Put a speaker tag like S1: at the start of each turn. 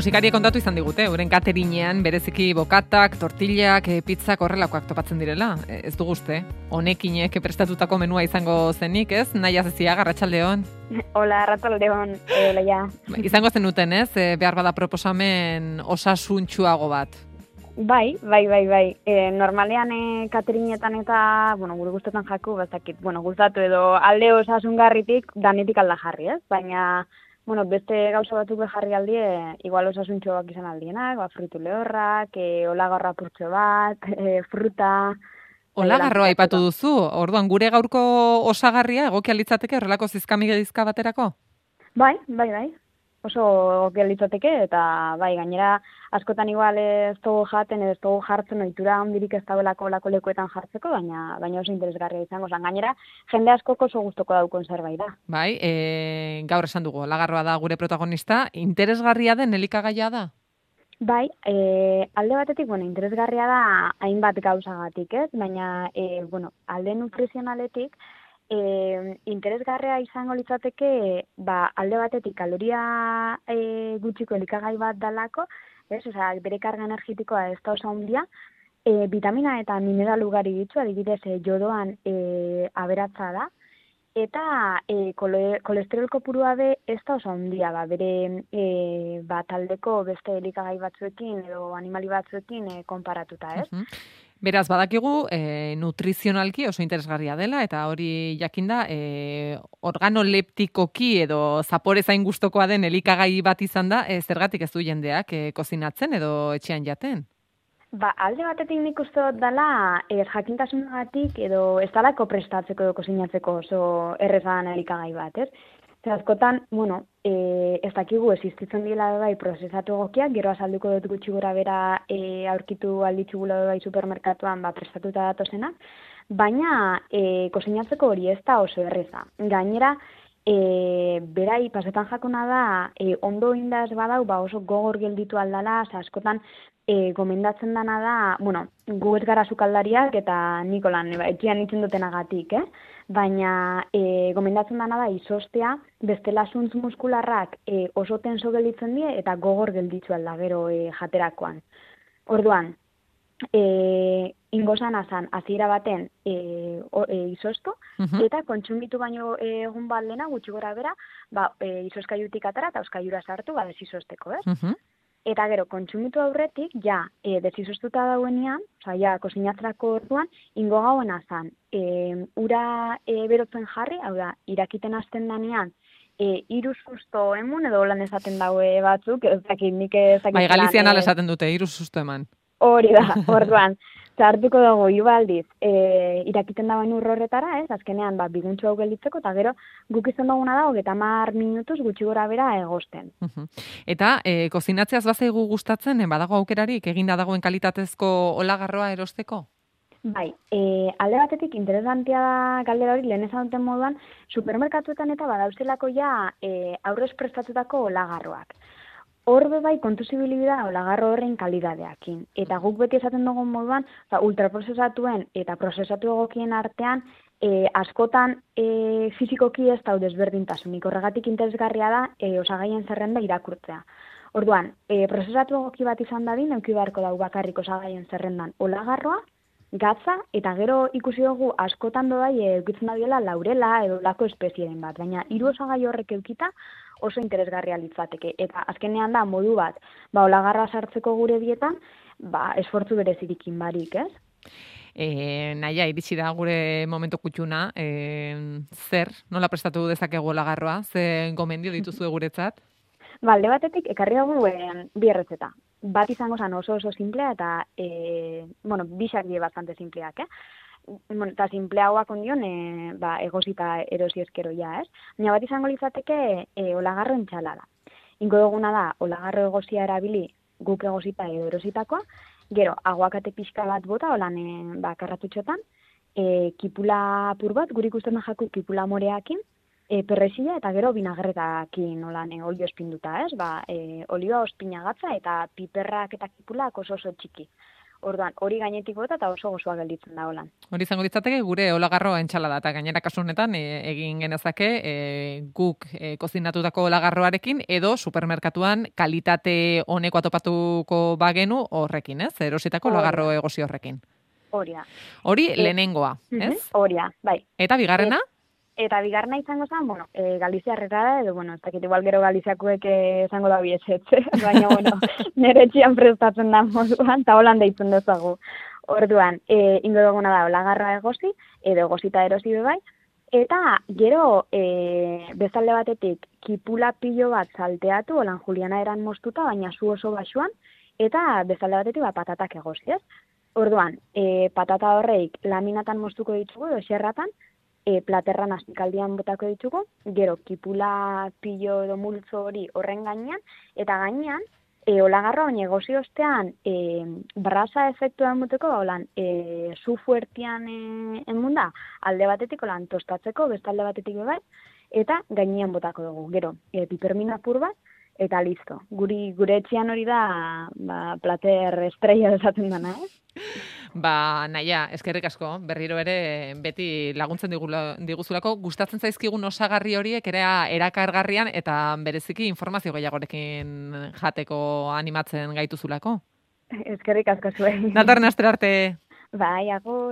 S1: Musikariek kontatu izan digute, euren cateringean bereziki bokatak, tortillak, pizzak horrelakoak topatzen direla. Ez dugu uste, honekinek prestatutako menua izango zenik, ez? Naia Zeziaga, arratsaldeon.
S2: Hola, arratsaldeon, Leia.
S1: Izango zenuten, ez? Behar bada proposamen osasuntsuago bat.
S2: Bai. Normalean cateringetan eta, gure gustetan jaku, bazakit, gustatu edo alde osasungarritik danetik alda jarri, ez? Baina, beste gauza batzuk jarri aldie, igual osasuntxoak izan aldienak, fruitu lehorrak, olagarroa purtxo bat, fruta...
S1: Olagarroa aipatu duzu, orduan gure gaurko osagarria egokia litzateke horrelako zizkamigedizka baterako?
S2: Bai. Oso egokia litzateke, eta bai, gainera askotan igual ez dugu jaten, ez dugu jartzen ohitura handirik ez dagoelako olako lekuetan jartzeko, baina oso interesgarria izango zen. Gainera, jende askok oso gustoko daukon zerbait da.
S1: Bai, gaur esan dugu, olagarroa da gure protagonista, interesgarria den elikagaia da?
S2: Bai, alde batetik, interesgarria da hainbat gauzagatik, ez? Baina, alde nutrizionaletik, interesgarria izango litzateke, alde batetik kaloria gutxiko elikagai bat dalako, ez? Osea, bere karga energetikoa ez da oso handia, vitamina eta mineral ugari ditu, adibidez, jodoan aberatsa da, eta kolesterol kopurua be ez da oso handia, bere taldeko beste elikagai batzuekin edo animali batzuekin konparatuta, ez?
S1: Beraz, badakigu, nutrizionalki oso interesgarria dela, eta hori jakinda, organoleptikoki edo zapore zain gustokoa den elikagai bat izan da, zergatik ez du jendeak kozinatzen edo etxean jaten?
S2: Alde batetik nik uste dut dela, jakintasunagatik edo ez dalako prestatzeko edo kozinatzeko oso errezan elikagai bat, ez? Askotan, ez dakigu existitzen dira bai prozesatu egokiak, gero azalduko dut gutxi gora bera aurkitu alditxugula bai supermerkatuan prestatuta datozenak, baina kozinatzeko hori ez da oso erreza. Gainera, berai pasetan jakona da, ondo indaz badau, oso gogor gelditu aldala, askotan gomendatzen dana da, gu ez gara sukaldariak eta Nikolan, etxean itzen dutenagatik, baina gomendatzen dana da izostea, bestela zuntz muskularrak oso tenso gelditzen die eta gogor gelditzu alda gero jaterakoan. Orduan, ingozan azan, hasiera baten izostu, eta kontsumitu baino egun bat lehena, gutxi gora bera, izoskaiutik atara eta euskaiura sartu, desizosteko, ez? Eta gero, kontsumitu aurretik, desizostuta dauenean, kozinatzerako orduan, ingo gauen azan, ura berotzen jarri, hau da, irakiten hasten danean, 3 susto emun, edo lan esaten daue batzuk, ez dakit, nik ez dakit...
S1: Bai, Galizian ala esaten dute, 3 susto eman.
S2: Hori da, orduan, hartuko dugu ibaldiz, irakiten dagoen horretara, ez, azkenean, biguntxo hau gelditzeko, eta gero, guk izan duguna da, 30 minutuz gutxi gora bera egosten.
S1: Eta, kozinatzeaz bazaigu gustatzen, badago aukerarik, eginda dagoen kalitatezko olagarroa erosteko?
S2: Bai, alde batetik interesantea da galdera hori, lehen esan duten moduan, supermerkatuetan eta badauzelako aurrez prestatutako olagarroak. Horbe bai kontu zibilibida olagarro horren kalidadeakin. Eta guk beti esaten dugun moduan, ultraprozesatuen eta prozesatu egokien artean, askotan fizikoki ez da desberdintasunik. Horregatik interesgarria da osagaien zerrenda irakurtzea. Orduan, prozesatu egoki bat izan dadin, euki beharko dau bakarrik osagaien zerrendan olagarroa, gatza, eta gero ikusi dugu askotan dodai eukitzen dabiela laurela edo lako espezieren bat. Baina 3 osagai horrek eukita, oso interesgarria litzateke. Eta azkenean da, modu bat, olagarra sartzeko gure dietan, esfortzu berezirikin barik, ez?
S1: Naia, iritsi da gure momentu kutxuna, nola prestatu dezakegu olagarroa? Ze gomendio dituzu guretzat?
S2: Alde batetik, ekarri dugu 2 erretzeta. Bat izango zen oso simplea eta, bisak die bastante simpleak, eta simpleagoak ondion, egosita erosi eskero ez? Baina bat izango litzateke olagarro entxalada. Ingo duguna da, olagarro egosia erabili guk egosita edo erositakoa, gero, aguakate pixka bat bota, holan karratutxotan, kipula apur bat, guri ikusten da jaku kipula moreakin, perresila eta gero vinagretakin olio espinduta, ez? Olioa ospina gatza eta piperrak eta kipulak oso txiki. Orduan, hori gainetik bota eta oso gozoa gelditzen da holan.
S1: Hori izango ditzateke gure olagarro entxalada, eta gainera kasu honetan egin genezake guk kozinatutako olagarroarekin edo supermerkatuan kalitate honeko atopatuko bagenu horrekin, ez? Erositako olagarro egosi horrekin.
S2: Hori da.
S1: Hori lehenengoa, ez?
S2: Hori da, bai.
S1: Eta bigarrena?
S2: Eta bigarna izango zen, Galiziarrera da, edo, ez dakit igual gero Galiziakuek izango da biesetze, baina, nire etxian prestatzen da moduan, eta holan deitzen dezagu. Orduan, ingo duguna da, olagarroa egosi, edo egosita erosi bebai, eta gero bezalde batetik kipula pilo bat salteatu, holan Juliana eran moztuta, baina zu oso basuan, eta bezalde batetik patatak egosi, ez? Orduan, patata horreik laminatan moztuko ditugu, edo xerratan, platerran astikaldian botako ditugu, gero kipula pilo edo multzo hori horren gainean, eta gainean, olagarro baina egosi ostean, brasa efektua emuteko, holan, zu fuertian emunda, alde batetik, holan, tostatzeko, beste alde batetik bebai, eta gainean botako dugu, gero, pipermina apur bat, eta listo. Gure etxean hori da, plater estrella desaten dana,
S1: Naia, eskerrik asko, berriro ere beti laguntzen diguzulako, gustatzen zaizkigun osagarri horiek ere erakargarrian eta bereziki informazio gehiagorekin jateko animatzen gaituzulako.
S2: Eskerrik asko zuei.
S1: Datorren astera arte.
S2: Bai, agur.